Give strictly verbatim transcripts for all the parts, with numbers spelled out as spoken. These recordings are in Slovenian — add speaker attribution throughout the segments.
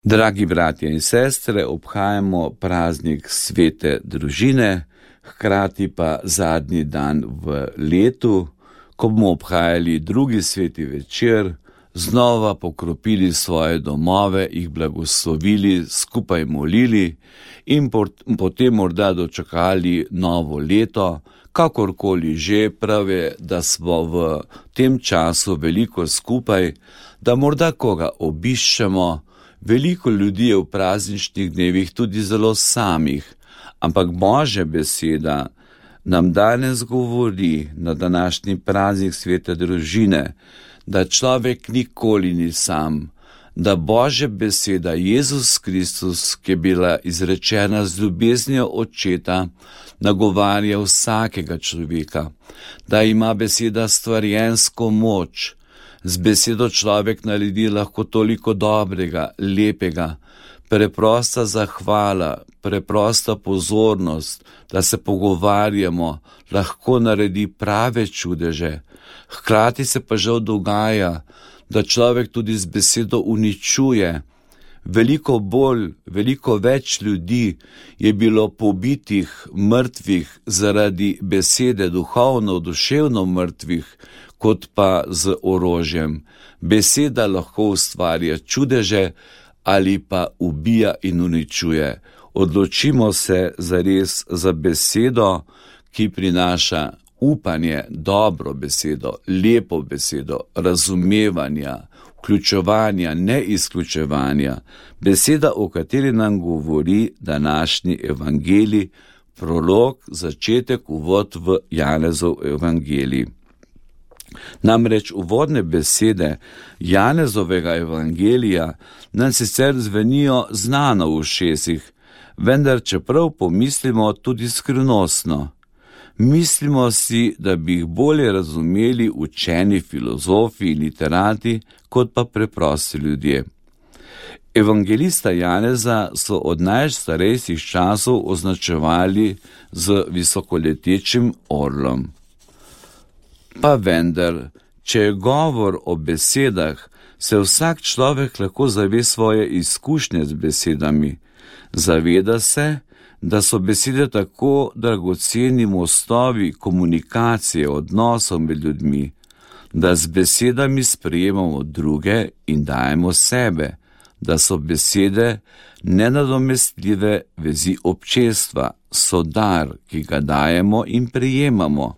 Speaker 1: Dragi bratje in sestre, obhajamo praznik svete družine, hkrati pa zadnji dan v letu, ko bomo obhajali drugi sveti večer, znova pokropili svoje domove, jih blagoslovili, skupaj molili in potem morda dočakali novo leto. Kakorkoli že, pravi, da smo v tem času veliko skupaj, da morda koga obiščemo. Veliko ljudi je v prazničnih dnevih tudi zelo samih, ampak Božja beseda nam danes govori na današnji praznik svete družine, da človek nikoli ni sam, da Božja beseda Jezus Kristus, ki je bila izrečena z ljubeznijo Očeta, nagovarja vsakega človeka, da ima beseda stvarjensko moč. Z besedo človek naredi lahko toliko dobrega, lepega, preprosta zahvala, preprosta pozornost, da se pogovarjamo, lahko naredi prave čudeže. Hkrati se pa žal dogaja, da človek tudi z besedo uničuje. Veliko bolj, veliko več ljudi je bilo pobitih, mrtvih zaradi besede, duhovno, duševno mrtvih, kot pa z orožjem. Beseda lahko ustvarja čudeže ali pa ubija in uničuje. Odločimo se zares za besedo, ki prinaša upanje, dobro besedo, lepo besedo, razumevanja, vključevanja, ne izključevanja. Beseda, o kateri nam govori današnji evangelij, prolog, začetek, uvod v Janezov evangelij. Namreč uvodne besede Janezovega evangelija nam sicer zvenijo znano v ušesih, vendar čeprav pomislimo tudi skrivnostno. Mislimo si, da bi jih bolje razumeli učeni filozofi in literati, kot pa preprosti ljudje. Evangelista Janeza so od najstarejših časov označevali z visokoletečim orlom. Pa vendar, če je govor o besedah, se vsak človek lahko zave svoje izkušnje z besedami. Zaveda se, da so besede tako dragoceni mostovi komunikacije, odnosov med ljudmi, da z besedami sprejemamo druge in dajemo sebe, da so besede nenadomestljive vezi občestva, so dar, ki ga dajemo in prejemamo.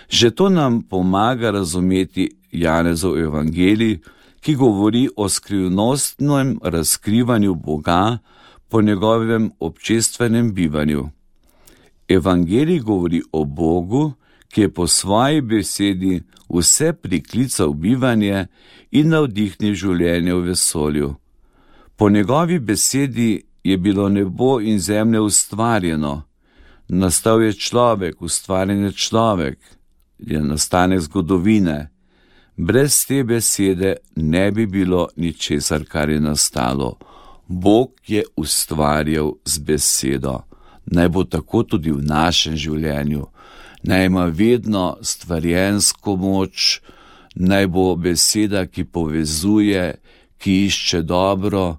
Speaker 1: Že to nam pomaga razumeti Janezov evangelij, ki govori o skrivnostnem razkrivanju Boga po njegovem občestvenem bivanju. Evangelij govori o Bogu, ki je po svoji besedi vse priklical bivanje in navdihnil življenje v vesolju. Po njegovi besedi je bilo nebo in zemlja ustvarjeno, nastal je človek, ustvarjen je človek, je nastanek zgodovine. Brez te besede ne bi bilo ničesar, kar je nastalo. Bog je ustvarjal z besedo. Naj bo tako tudi v našem življenju. Naj ima vedno stvarjensko moč, naj bo beseda, ki povezuje, ki išče dobro,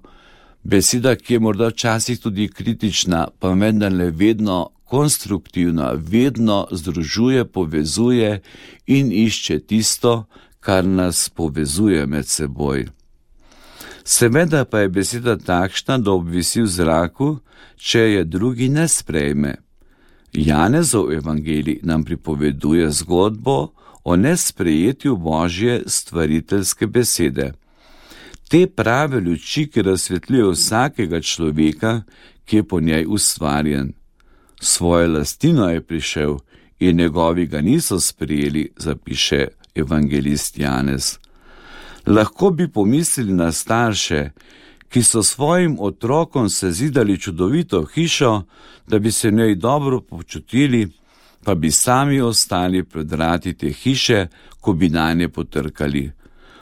Speaker 1: beseda, ki je morda včasih tudi kritična, pa vendarle vedno konstruktivna, vedno združuje, povezuje in išče tisto, kar nas povezuje med seboj. Seveda pa je beseda takšna, da obvisi v zraku, če je drugi ne sprejme. Janezov evangelij nam pripoveduje zgodbo o nesprejetju Božje stvariteljske besede. Te prave luči, ki razsvetljuje vsakega človeka, ki je po njej ustvarjen. Svojo lastino je prišel in njegovi ga niso sprejeli, zapiše evangelist Janez. Lahko bi pomislili na starše, ki so svojim otrokom sezidali čudovito hišo, da bi se v njej dobro počutili, pa bi sami ostali pred vrati te hiše, ko bi nanje potrkali.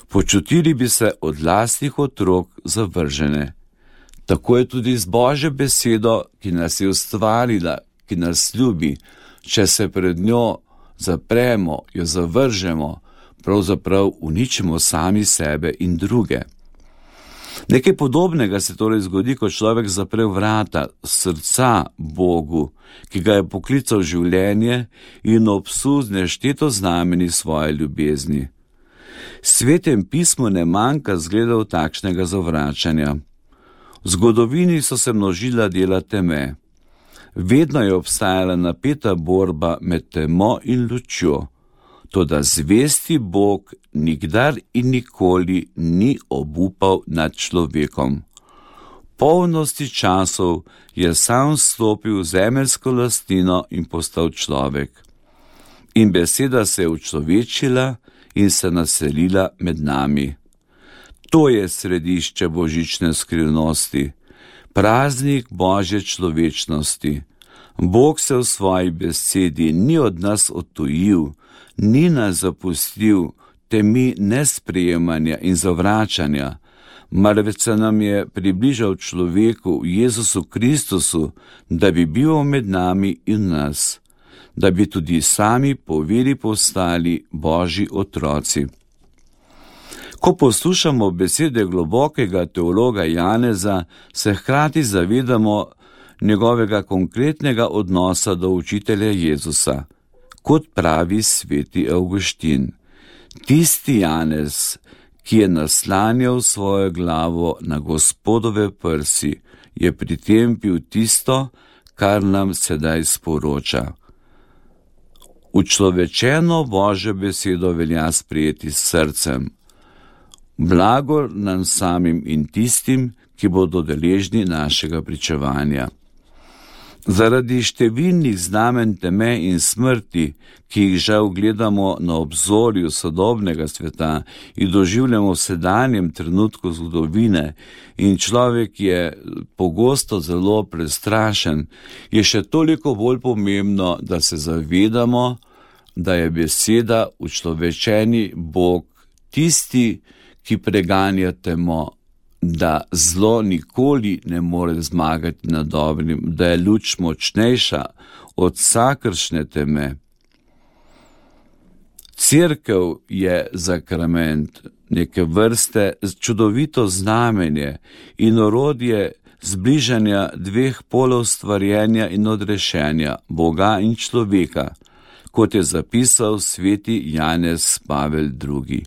Speaker 1: Počutili bi se od lastnih otrok zavržene. Tako je tudi z Božjo besedo, ki nas je ustvarila, ki nas ljubi. Če se pred njo zapremo, jo zavržemo, pravzaprav uničimo sami sebe in druge. Nekaj podobnega se torej zgodi, ko človek zapre vrata srca Bogu, ki ga je poklical v življenje in obsuzne šteto znameni svoje ljubezni. Svetem pismu ne manjka zgledov takšnega zavračanja. V zgodovini so se množila dela teme. Vedno je obstajala napeta borba med temo in lučjo, toda zvesti Bog nikdar in nikoli ni obupal nad človekom. V polnosti časov je sam vstopil v zemeljsko lastnino in postal človek. In beseda se je učlovečila in se naselila med nami. To je središče božične skrivnosti, praznik Božje človečnosti. Bog se v svoji besedi ni od nas odtujil, ni nas zapustil temi nesprejemanja in zavračanja, marveč se nam je približal človeku Jezusu Kristusu, da bi bil med nami in nas, da bi tudi sami po veri postali Božji otroci. Ko poslušamo besede globokega teologa Janeza, se hkrati zavedamo njegovega konkretnega odnosa do učitelja Jezusa, kot pravi sveti Avguštin. Tisti Janez, ki je naslanjal svojo glavo na Gospodove prsi, je pri tem pil tisto, kar nam sedaj sporoča. Učlovečeno Božjo besedo velja sprejeti s srcem. Blagor nam samim in tistim, ki bodo deležni našega pričevanja. Zaradi številnih znamen teme in smrti, ki jih žal gledamo na obzorju sodobnega sveta in doživljamo v sedanjem trenutku zgodovine, in človek je pogosto zelo prestrašen, je še toliko bolj pomembno, da se zavedamo, da je beseda učlovečeni Bog tisti, ki preganja temo, da zlo nikoli ne more zmagati nad dobrim, da je luč močnejša od vsakršne teme. Cerkev je sakrament, neke vrste čudovito znamenje in orodje zbližanja dveh polov stvarjenja in odrešenja, Boga in človeka, kot je zapisal sveti Janez Pavel drugi.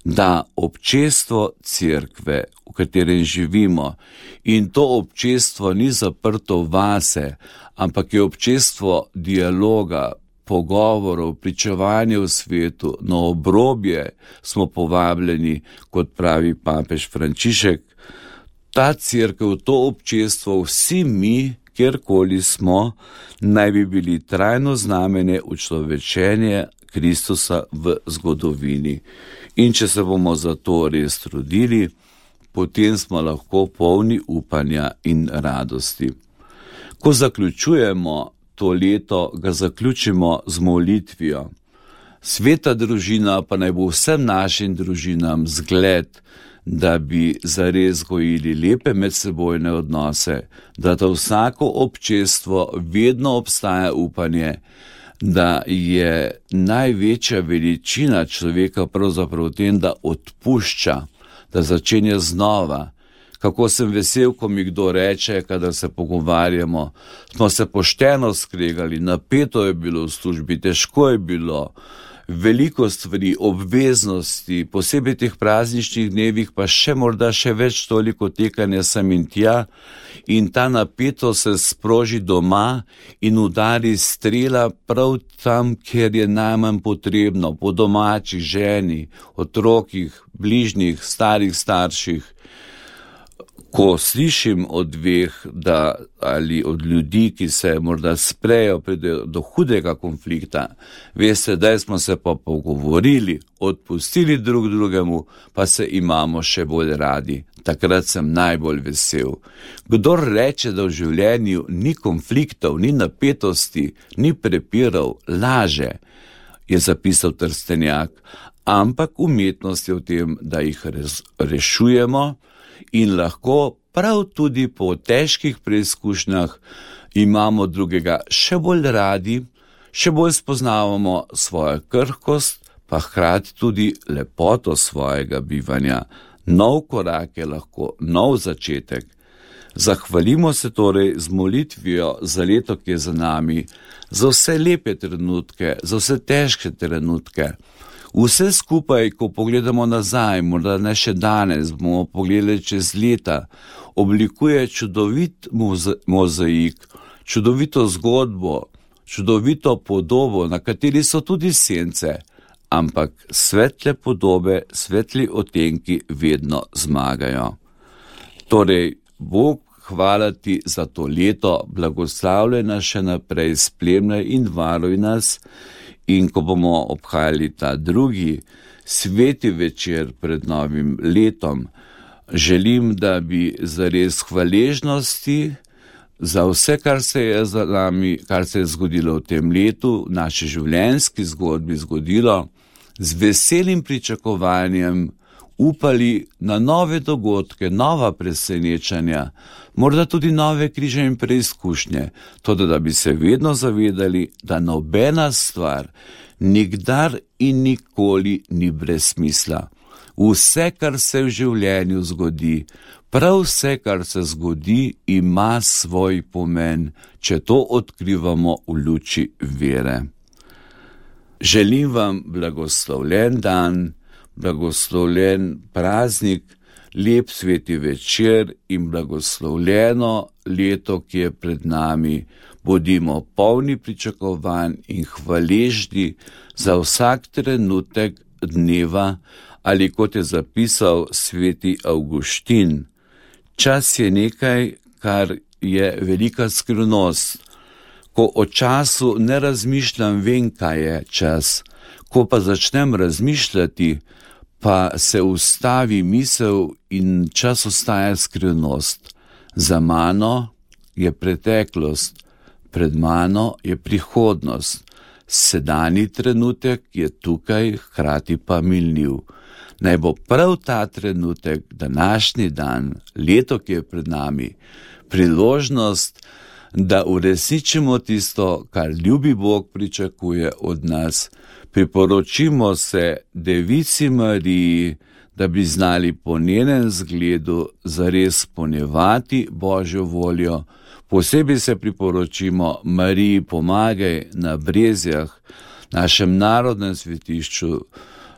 Speaker 1: Da občestvo cerkve, v katerem živimo, in to občestvo ni zaprto vase, ampak je občestvo dialoga, pogovorov, pričevanja v svetu, na obrobje smo povabljeni, kot pravi papež Frančišek. Ta cerkev, to občestvo, vsi mi, kjerkoli smo, naj bi bili trajno znamenje učlovečenja Kristusa v zgodovini. In če se bomo za to res trudili, potem smo lahko polni upanja in radosti. Ko zaključujemo to leto, ga zaključimo z molitvijo. Sveta družina pa naj bo vsem našim družinam zgled, da bi zares gojili lepe medsebojne odnose, da to vsako občestvo vedno obstaja upanje, da je največja veličina človeka pravzaprav v tem, da odpušča, da začenja znova. Kako sem vesel, ko mi kdo reče, kadar se pogovarjamo, smo se pošteno skregali, napeto je bilo v službi, težko je bilo, veliko stvari, obveznosti, posebej teh prazničnih dnevih, pa še morda še več toliko tekanja sem in tja, in ta napeto se sproži doma in udari strela prav tam, kjer je najmanj potrebno, po domačih, ženi, otrokih, bližnjih, starih starših. Ko slišim od dveh, da, ali od ljudi, ki se morda sprejo, pride do hudega konflikta, veste, da smo se pa pogovorili, odpustili drug drugemu, pa se imamo še bolj radi. Takrat sem najbolj vesel. Kdor reče, da v življenju ni konfliktov, ni napetosti, ni prepirov, laže, je zapisal Trstenjak, ampak umetnost je v tem, da jih rešujemo, in lahko prav tudi po težkih preizkušnjah imamo drugega še bolj radi, še bolj spoznavamo svojo krhkost, pa hkrati tudi lepoto svojega bivanja. Nov korak je lahko nov začetek. Zahvalimo se torej z molitvijo za leto, ki je za nami, za vse lepe trenutke, za vse težke trenutke. Vse skupaj, ko pogledamo nazaj, morda ne še danes, bomo pogledali čez leta, oblikuje čudovit mozaik, čudovito zgodbo, čudovito podobo, na kateri so tudi sence, ampak svetle podobe, svetli odtenki vedno zmagajo. Torej, Bog, hvala ti za to leto, blagoslavljaj nas še naprej, spremljaj in varuj nas. In ko bomo obhajali ta drugi sveti večer pred novim letom, želim, da bi zares hvaležnosti za vse, kar se je za nami, kar se je zgodilo v tem letu, v naši življenjski zgodbi zgodilo, z veselim pričakovanjem upali na nove dogodke, nova presenečanja, morda tudi nove križe in preizkušnje, toda da bi se vedno zavedali, da nobena stvar nikdar in nikoli ni brez smisla. Vse, kar se v življenju zgodi, prav vse, kar se zgodi, ima svoj pomen, če to odkrivamo v luči vere. Želim vam blagoslovljen dan, blagoslovljen praznik, lep sveti večer in blagoslovljeno leto, ki je pred nami. Bodimo polni pričakovanj in hvaležni za vsak trenutek dneva, ali kot je zapisal sveti Avguštin, čas je nekaj, kar je velika skrivnost. Ko o času ne razmišljam, vem, kaj je čas. Ko pa začnem razmišljati, pa se ustavi misel in čas ostaja skrivnost. Za mano je preteklost, pred mano je prihodnost. Sedanji trenutek je tukaj, hkrati pa minljiv. Naj bo prav ta trenutek, današnji dan, leto, ki je pred nami, priložnost, da uresničimo tisto, kar ljubi Bog pričakuje od nas. Priporočimo se Devici Mariji, da bi znali po njenem zgledu zares izpolnjevati Božjo voljo. Posebej se priporočimo Mariji Pomagaj na Brezjah, našem narodnem svetišču,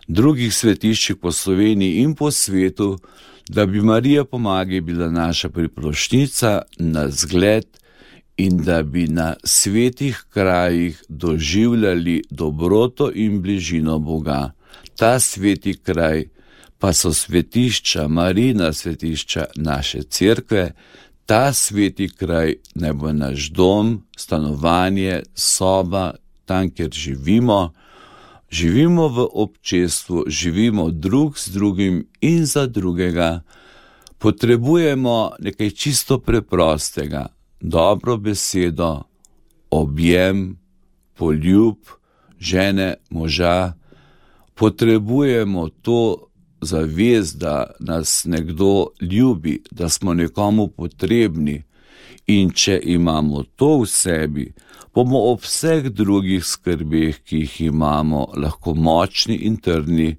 Speaker 1: drugih svetiščih po Sloveniji in po svetu, da bi Marija Pomagaj bila naša priprošnjica na zgled in da bi na svetih krajih doživljali dobroto in bližino Boga. Ta sveti kraj pa so svetišča, Marijina svetišča naše cerkve. Ta sveti kraj naj bo naš dom, stanovanje, soba, tam, kjer živimo. Živimo v občestvu, živimo drug z drugim in za drugega. Potrebujemo nekaj čisto preprostega, dobro besedo, objem, poljub, žene, moža. Potrebujemo to zavest, da nas nekdo ljubi, da smo nekomu potrebni. In če imamo to v sebi, bomo ob vseh drugih skrbeh, ki jih imamo, lahko močni in trdni,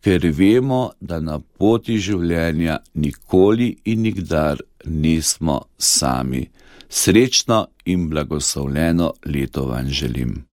Speaker 1: ker vemo, da na poti življenja nikoli in nikdar nismo sami. Srečno in blagoslovljeno leto vam želim.